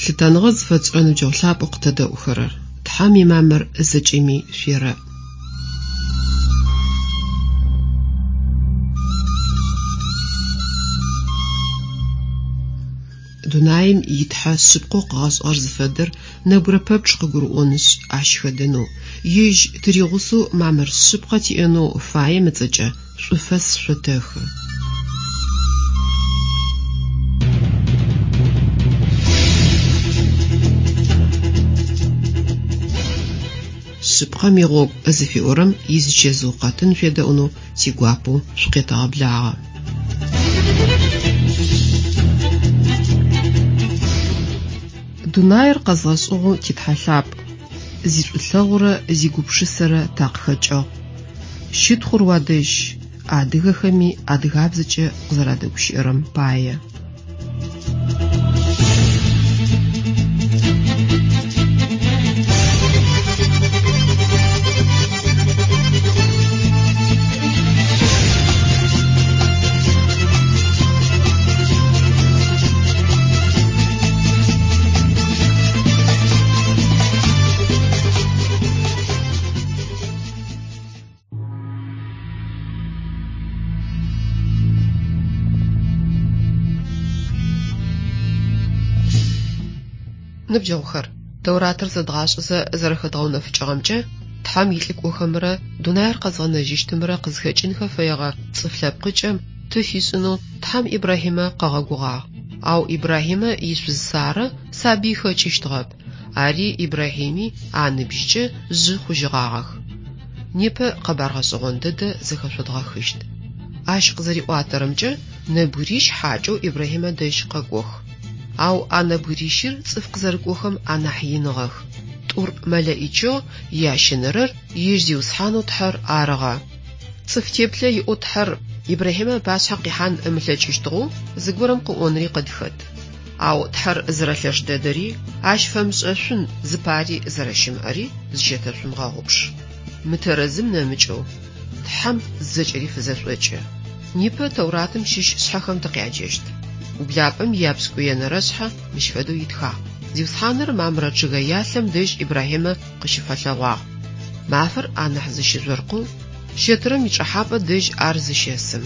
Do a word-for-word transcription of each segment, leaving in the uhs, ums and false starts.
Лъытэныгъэ зыфэтшӏырэ ныбджэгъу лъапӏэу къытэдэӏухэрэр, Тхьэм имамыр зэкӏэми шъуерэӏ. Дунаим итхьэ шъыпкъэу къыгъэшӏыгъэр зыфэдэр нэбгырэ пэпчъ къыгурыӏонышъ ащ хэдэнэу, ежь тыригъусэу мамыр шъыпкъэ тиӏэнэу фаем ыцӏэкӏэ шӏуфэс шъотэхы. Шъыпкъэм игъогу зыфиӏорэм изычэзыу къэтын шъуедэӏунэу тигуапэу шъукъетэгъэблагъэ. Дунаир къэзгъэшӏыгъэу титхьэ лъапӏ, зишӏулъэгъурэ зигупшысэрэ такъыхэкӏыгъ. Щытхъур уадэжь, адыгэхэми адыгабзэкӏэ къызэрадэгущыӏэрэм пае. Ныбджэгъухэр, Тэуратыр зэдгъашӏэзэ зэрэхэдгъэунэфыкӏыгъэмкӏэ, Тхьэм илӏыкӏохэмрэ дунаир къэзгъэнэжьыщтымрэ къызхэкӏынхэ фэегъэ цӏыф лъэпкъыкӏэм ты фишӏынэу Тхьэм Ибрахьимэ къыгъэгугъагъ. Ау Ибрахьимэ ишъуз Сарэ сабый хэкӏыщтыгъэп, ари Ибрахьими аныбжькӏэ жъы хъужьыгъагъэх. Непэ къэбар гъэшӏэгъон дэдэ зэхэшъодгъэхыщт. Ащ къызэриӏуатэрэмкӏэ, нэбгырищ хьакӏэу Ибрахьимэ дэжь къэкӏох. Ау а нэбгырищыр цӏыф къызэрыкӏохэм анахь иныгъэх. Тӏур мэлэӏичыгъ, ящэнэрэр ежь Зиусхьанэу Тхьэр арыгъэ. Цӏыф теплъэ иӏэу Тхьэр Ибрахьимэ ыпашъхьэ къихьан ымылъэкӏыщтыгъэу зыгорэм къыӏонри къыдхэт. Ау Тхьэр зэрэлъэш дэдэри, ащ фэмышӏэшъун зыпари зэрэщымыӏэри зыщэтэшъумыгъэгъупш. Мытэрэзым нэмыкӏэу Тхьэм зэкӏэри фызэшӏокӏы. Непэ Тэуратым щыщ шъхьэхэм тыкъяджэщт. Ублапӏэм япшӏыкӏуенэрэ шъхьэ мыщ фэдэу итхагъ. Зиусхьаныр мамрэ чъыгэялъэм дэжь Ибрахьимэ къыщыфэлъэгъуагъ. Мафэр анахь зыщыжъоркъэу, щэтырэм ичӏэхьапӏэ дэжь ар зыщэсым.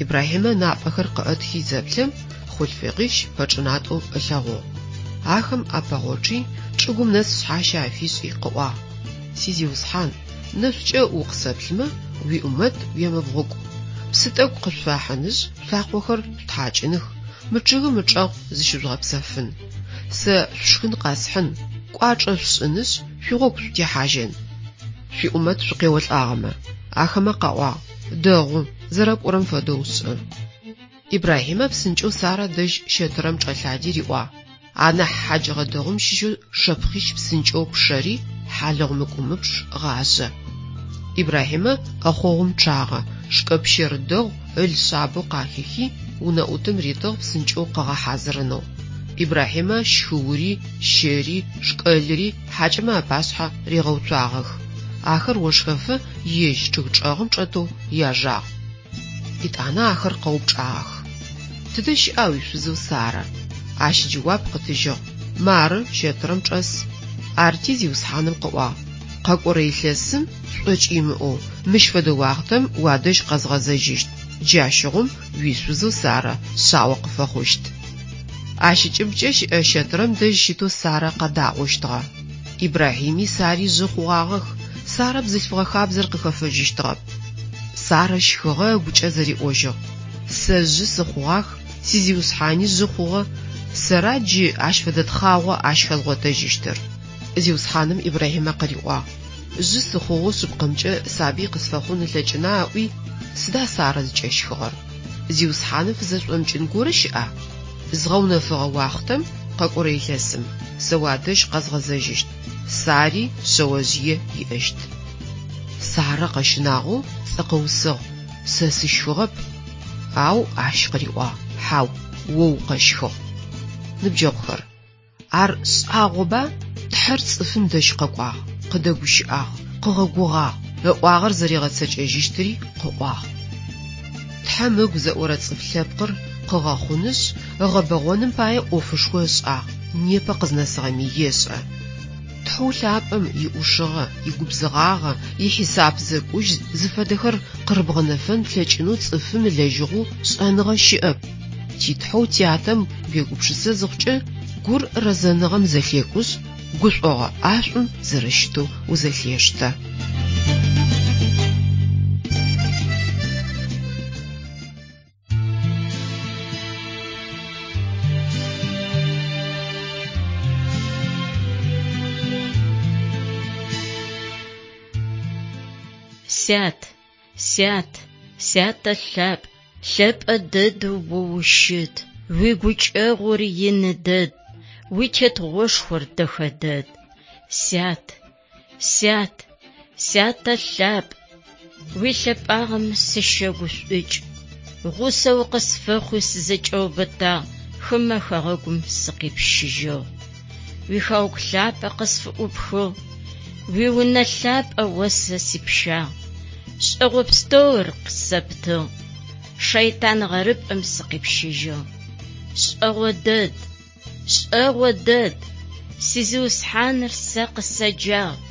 Ибрахьимэ напӏэхэр къыӏэтхи зэплъэм, хъулъфыгъищ пэчӏынатӏэу ылъэгъугъ. Ахэм апэгъочъи, чӏыгум нэс шъхьащэ афишӏи къыӏуагъ: Си Зиусхьан, нэшӏукӏэ укъысэплъымэ, уиӏумэт уемыбгъукӏу. Псы тӏэкӏу къышъуфахьынышъ, шъулъакъохэр шъутхьакӏыных, мы чъыгым ычӏэгъ зыщыжъугъэпсэфын. Сэ шъушхын къэсхьын, кӏуачӏэ шъушӏынышъ, шъуигъогу шъутехьажьын. Шъуиӏумэт шъукъеолӏагъэмэ. Ахэмэ къаӏуагъ: Дэгъу, зэрэпӏорэм фэдэу шӏы. Ибрахьимэ псынкӏэу Сарэ дэжь щэтырэм чӏэлъади риӏуагъ: Анахь хьаджыгъэ дэгъум щыщэу шэпхъищ псынкӏэу пщэри, хьалыгъу мыкӏумыпш гъажъэ. Ибрахьимэ ӏэхъогъум чъагъэ, шкӏэ пщэр дэгъу ыл шъабэу къахихи, унэӏутым ритыгъ псынкӏэу къыгъэхьазырынэу. Ибрахьимэ щхыури, щэри, шкӏэлри хьакӏэмэ апашъхьэ ригъэуцуагъэх. Ахэр ошхэфэ ежь чъыг чӏэгъым чӏэтэу яжагъ. Етӏанэ ахэр къэупчӏагъэх: Тыдэ щыӏа уишъузэу Сарэ? Ащ джэуап къытыжьыгъ: Мары щэтырэм чӏэс. Арти Зиусхьаным къыӏуагъ: Къэкӏорэ илъэсым шӏокӏ имыӏэу, мыщ фэдэ уахътэм уадэжь къэзгъэзэжьыщт. Джащыгъум уишъузэу Сарэ шъао къыфэхъущт. Ащ ыкӏыбкӏэ щыӏэ щэтырэм дэжь щытэу Сарэ къэдаӏощтыгъэ. Ибрахьими Сари жъы хъугъагъэх. Сарэ бзылъфыгъэ хабзэр къыхэфэжьыщтыгъэп. Сарэ щхыгъэ ыгукӏэ зэриӏожьыгъ: Сэ жъы сыхъугъах, си Зиусхьани жъы хъугъэ, сэра джы ащ фэдэ тхъагъо ащ хэзгъотэжьыщтыр? Зиусхьаным Ибрахьимэ къыриӏуагъ: Жъы сыхъугъэу шъыпкъэмкӏэ сабый къысфэхъун ылъэкӏына ыӏуи, сыда Сарэ зыкӏэщхыгъэр? Зиусхьаным фызэшӏомыкӏын горэ щыӏа? Згъэунэфыгъэ уахътэм, къэкӏорэ илъэсым, сэ уадэжь къэзгъэзэжьыщт, Сари шъэожъые иӏэщт. Сарэ къэщынагъэу пцӏы къыусыгъ: Сэ сыщхыгъэп. Ау ащ къыриӏуагъ: Хьау, о укъэщхыгъ. Ныбджэгъухэр, ар шӏагъоба? Тхьэр цӏыфым дэжь къэкӏуагъ, къыдэгущыӏагъ, къыгъэгугъагъ, ыӏуагъэр зэригъэцэкӏэжьыщтыри къыӏуагъ. Тхьэм ыгу зэӏорэ цӏыф лъэпкъыр къыгъэхъунышъ, ыгъэбэгъоным пае ӏофышхо ышӏагъ. непэ къызнэсыгъэми ешӏэ. Тхьэу лъапӏэм иӏушыгъэ, игубзыгъагъэ, ихьисап зэкӏужь зыфэдэхэр къырыбгъэнэфэн плъэкӏынэу цӏыфым ылэжьыгъэу шӏэныгъэ щыӏэп. Титхьэу тятэм уегупшысэ зыхъукӏэ, гур рэзэныгъэм зэлъекӏушъ, гушӏогъо ӏашӏум зэрэщытэу узэлъештэ. Сят, сят, сятэ лъапӏ, лъэпӏэ дэдэу о ущыт, уигукӏэгъур ины дэд, уитетыгъошхор дэхэ дэд. Сят, сят, сятэ лъапӏ, уилъэпӏагъэм сыщэгушӏукӏ, гъусэ укъысфэхъуи сызэкӏэубытагъ, хымэ хэгъэгум сыкъипщыжьыгъ. Уихэгъэгу лъапӏэ къысфыӏупхыгъ, уиунэ лъапӏэ о сэ сипщагъ, шӏэгъо пстэур къысэптыгъ, шэйтан гъэрыпӏэм сыкъипщыжьыгъ. Шӏэгъо дэд, шӏэгъо дэд, си Зиусхьаныр сэ къысэджагъ,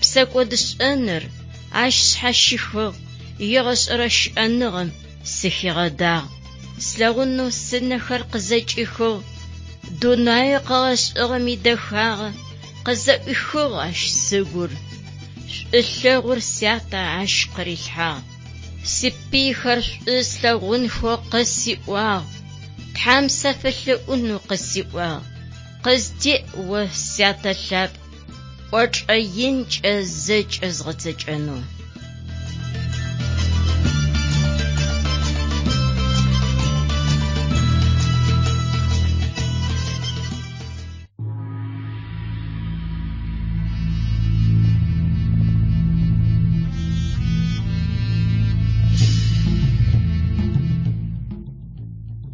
псэкӏодышӏэныр ащ шъхьащихыгъ, егъэшӏэрэ щыӏэныгъэм сыхигъэдагъ. Слъэгъунэу сынэхэр къызэкӏихыгъ, дунае къыгъэшӏыгъэм идэхагъэ къызэӏуихыгъ ащ сыгур. Шӏулъэгъур сятэ ащ къырилъхьагъ. Сипыйхэр шӏу слъэгъунхэу къысиӏуагъ, Тхьэм сафэлъэӏунэу къысиӏуагъ. Къыздеӏ о сятэ лъапӏ, кӏочӏэ инкӏэ зэкӏэ згъэцэкӏэнэу.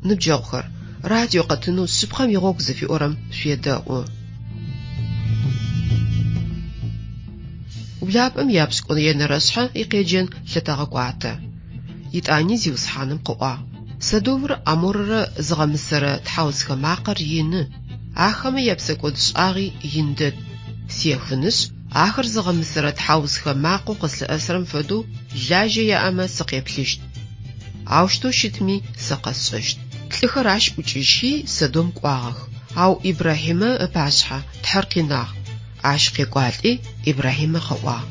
Ныбджэгъухэр, радио къэтынэу шъыпкъэм игъогу зыфиӏорэм шъуедэӏу. Ублапӏэм япшӏыкӏуенэрэшъхьэ икъеджэн лъытэгъэкӏуатэ. Итӏани Зиусхьаным къыӏуагъ: Содомрэ Гоморрэ зыгъэмысэрэ тхьаусхэ макъэр ины, ахэмэ япсэкӏодшӏагъи ин дэд. Сехынышъ, ахэр зыгъэмысэрэ тхьаусхэ макъэу къыслъыӏэсырэм фэдэу лажьэ яӏэмэ сыкъеплъыщт. Аущтэу щытми сэ къэсшӏэщт. Лӏыхэр ащ ӏукӏыжьхи Содом кӏуагъэх, ау Ибрахьимэ ыпашъхьэ Тхьэр къинагъ. Ащ къекӏуалӏи Ибрахьимэ къыӏуагъ: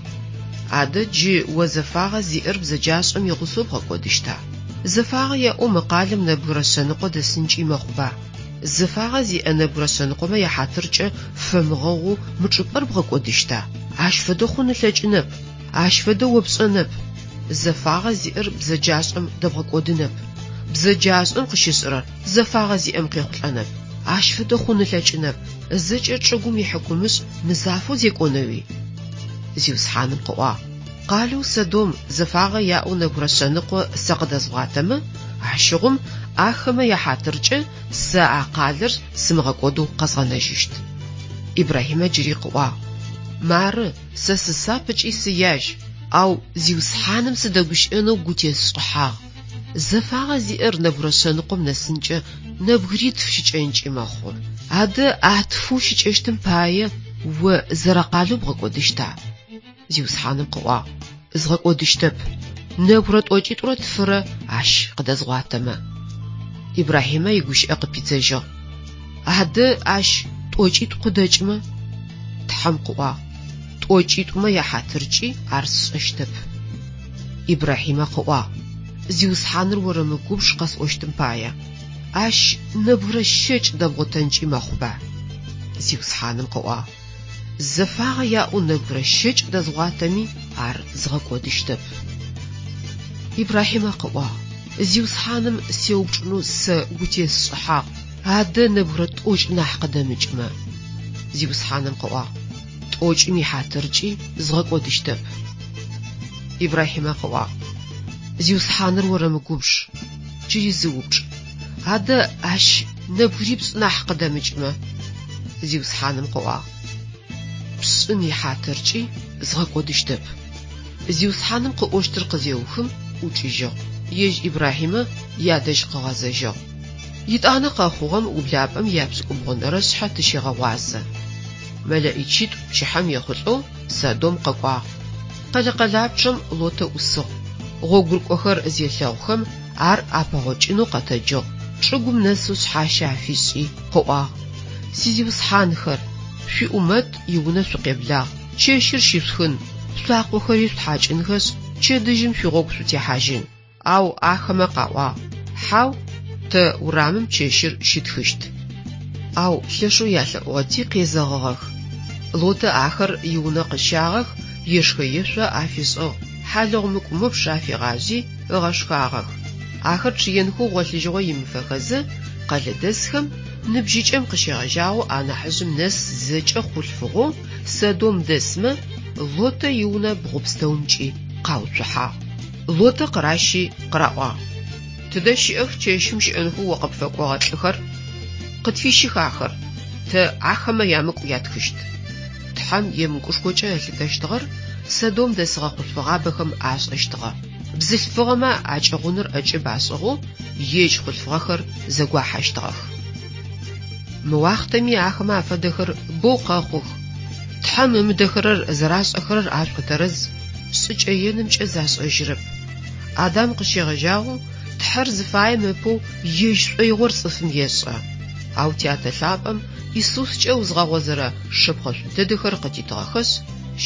Адэ джы о зэфагъэ зиӏэр бзэджашӏэм игъусэу бгъэкӏодыщта? Зэфагъэ яӏэу мы къалэм нэбгырэ шъэныкъо дэсынкӏи мэхъуба? Зэфагъэ зиӏэ нэбгырэ шъэныкъомэ яхьатыркӏэ фэмыгъэгъоу мы чӏыпӏэр бгъэкӏодыщта? Ащ фэдэ хъун ылъэкӏынэп, ащ фэдэ о пшӏэнэп. Зэфагъэ зиӏэр бзэджашӏэм дэбгъэкӏодынэп. Бзэджашӏэм къыщышӏырэр зэфагъэ зиӏэм къехъулӏэнэп. Ащ фэдэ хъун ылъэкӏынэп. Зэкӏэ чӏыгум ихьыкумышӏ мызафэу зекӏонэуи? Зиусхьаным къыӏуагъ: Къалэу Содом зэфагъэ яӏэу нэбгырэ шъэныкъо сэ къыдэзгъуатэмэ, ащыгъум ахэмэ яхьатыркӏэ сэ а къалэр сымыгъэкӏодэу къэзгъэнэжьыщт. Ибрахьимэ джыри къыӏуагъ: Мары, сэ сысап ыкӏи сыяжь, ау Зиусхьаным сыдэгущыӏэнэу гу тесшӏыхьагъ. Зэфагъэ зиӏэр нэбгырэ шъэныкъом нэсынкӏэ нэбгыритф щыкӏэнкӏи мэхъу. Адэ а тфэу щыкӏэщтым пае о зэрэкъалэу бгъэкӏодыщта? Зиусхьаным къыӏуагъ: Згъэкӏодыщтэп. Нэбгырэ тӏокӏитӏурэ тфырэ ащ къыдэзгъуатэмэ. Ибрахьимэ игущыӏэ къыпидзэжьыгъ: Адэ ащ тӏокӏитӏу къыдэкӏымэ? Тхьэм къыӏуагъ: Тӏокӏитӏумэ яхьатыркӏи ар сшӏэщтэп. Ибрахьимэ къыӏуагъ: Зиусхьаныр орэмыгубж къэсӏощтым пае. Ащ нэбгырэ щэкӏ дэбгъотэнкӏи мэхъуба? Зиусхьаным къыӏуагъ: Зэфагъэ яӏэу нэбгырэ щэкӏ дэзгъуатэми ар згъэкӏодыщтэп. Ибрахьимэ къыӏуагъ: Зиусхьаным сеупчӏынэу сэ гу тесшӏыхьагъ, адэ нэбгырэ тӏокӏ нахь къыдэмыкӏымэ. Зиусхьаным къыӏуагъ: Тӏокӏым ихьатыркӏи згъэкӏодыщтэп. Ибрахьимэ къыӏуагъ: Зиусхьаныр орэмыгубж, джыри зы упчӏ. Адэ ащ нэбгырипшӏ нахь къыдэмыкӏымэ? Зиусхьаным къыӏуагъ: Пшӏым ихьатыркӏи згъэкӏодыщтэп. Зиусхьаным къыӏощтыр къызеухым ӏукӏыжьыгъ. Ежь Ибрахьимэ ядэжь къыгъэзэжьыгъ. Етӏанэ къэхъугъэм ублапӏэм япшӏыкӏубгъунэрэ шъхьэ тыщегъэгъуазэ. Мэлэӏичитӏу пчыхьэм ехъулӏэу Содом къэкӏуагъ. Къэлэ къэлапчъэм Лотэ ӏусыгъ. Гъогурыкӏохэр зелъэгъухэм ар апэгъокӏынэу къэтэджыгъ, чӏыгум нэсэу шъхьащэ афишӏи, къыӏуагъ: «Сизиусхьанхэр, шъуиӏумэт иунэ шъукъеблагъ, чэщыр щишъухын, шъулъакъохэри шъутхьакӏынхэшъ, пчэдыжьым шъуигъогу шъутехьажьын». Ау ахэмэ къаӏуагъ: «Хьау, тэ урамым чэщыр щытхыщт». Ау лъэшэу ялъэӏугъэти къезэгъыгъэх. Лотэ ахэр иунэ къыщагъэх, ешхэ-ешъо афишӏыгъ, хьалыгъу мыкӏумыпш афигъажъи ыгъэшхагъэх. Ахэр чъыенхэу гъолъыжьыгъо имыфэхэзэ, къэлэдэсхэм ныбжьыкӏэм къыщегъэжьагъэу анахьыжъым нэс зэкӏэ хъулъфыгъэу Содом дэсмэ Лотэ иунэ бгъу пстэумкӏи къауцухьагъ. Лотэ къыращи къыраӏуагъ: «Тыдэ щыӏэх чэщым щыӏэнхэу о къыпфэкӏогъэ лӏыхэр? Къытфищых ахэр, тэ ахэмэ ямыкӏу ятхыщт». Тхьэм емыкӏушхокӏэ ылъытэщтыгъэр Содом дэсыгъэ хъулъфыгъабэхэм ашӏэщтыгъэ. Бзылъфыгъэмэ акӏыгъуныр ӏэкӏыб ашӏыгъэу ежь хъулъфыгъэхэр зэгуахьэщтыгъэх. Мы уахътэми ахэмэ афэдэхэр боу къэхъух. Тхьэм ымыдэхэрэр зэрашӏэхэрэр ашӏотэрэз, шӏыкӏэ енымкӏэ зашӏэжьырэп. Адам къыщегъэжьагъэу Тхьэр зыфаем ыпэу ежь шӏоигъор цӏыфым ешӏэ. Ау Тятэ лъапӏэм Исускӏэ узгъэгъозэрэ шэпхъэшӏу дэдэхэр къытитыгъэхэшъ,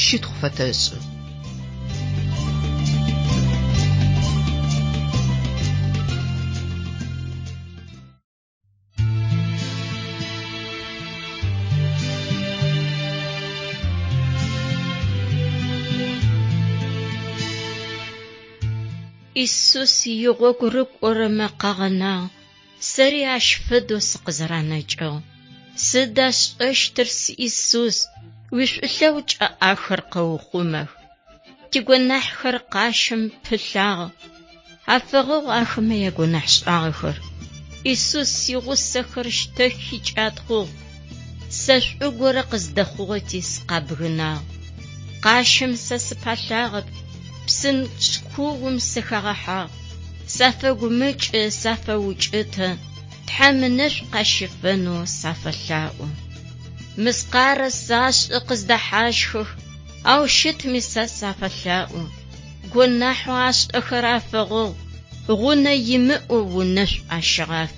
щытхъу фэтэшӏы. Исус игъогу рыкӏорэмэ къагъэнагъ, сэри ащ фэдэу сыкъызэранэкӏыгъ. Сыда сшӏэщтыр, си Исус, уишӏулъэгъукӏэ ахэр къэухъумэх. Тигонахьхэр къащым пылъагъ, афэгъэгъу ахэмэ ягонахьшӏагъэхэр. Исус игъусэхэр щтэхи кӏатхъугъ, сэ шӏу горэ къыздэхъугъэти сыкъабгынагъ. Къащым сэ сыпалъагъэп, псынкӏ куум сыхагъэхьагъ. Сафэгумыкӏы, сафэукӏытэ, Тхьэм ынэшӏу къащыфэнэу сафэлъаӏо. Мыскъарэ сашӏы къыздэхьащхых, ау щытми сэ сафэлъаӏо. Гонахьэу ашӏэхэр афэгъэгъу, гъунэ имыӏэу унэшӏу ащыгъаф.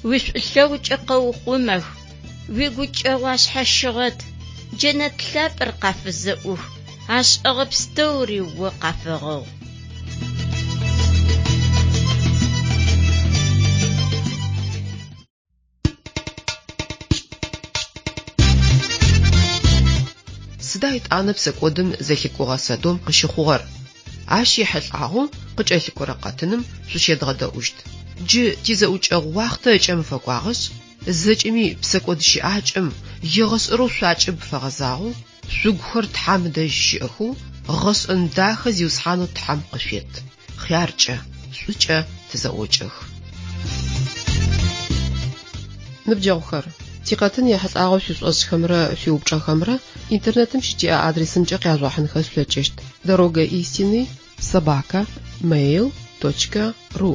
Уишӏулъэгъукӏэ къэухъумэх, уигукӏэгъу ашъхьащыгъэт, джэнэт лъапӏэр къафызэӏух, ашӏэгъэ пстэури о къафэгъэгъу. Сыда етӏанэ псэкӏодым зэлъикӏугъэ Содом къыщыхъугъэр? Ащ ехьылӏагъэу къыкӏэлъыкӏорэ къэтыным шъущедгъэдэӏущт. Джы тизэӏукӏэгъу уахътэ ыкӏэм фэкӏуагъэшъ, зэкӏэми псэкӏод щыӏакӏэм егъэшӏэрэу шъуакӏыб фэгъэзагъэу, шъугухэр Тхьэм дэжь щыӏэхэу, гъэшӏэн дахэ Зиусхьанэу Тхьэм къышъует. Хъяркӏэ, шӏукӏэ тызэӏокӏэх. Ныбджэгъухэр, тикъэтын ехьылӏагъэу шъуишӏошӏхэмрэ шъуиупчӏэхэмрэ интернетым щытиӏэ адресымкӏэ къяжъугъэхьынхэ шъулъэкӏыщт: дорога истины собака mail точка ру.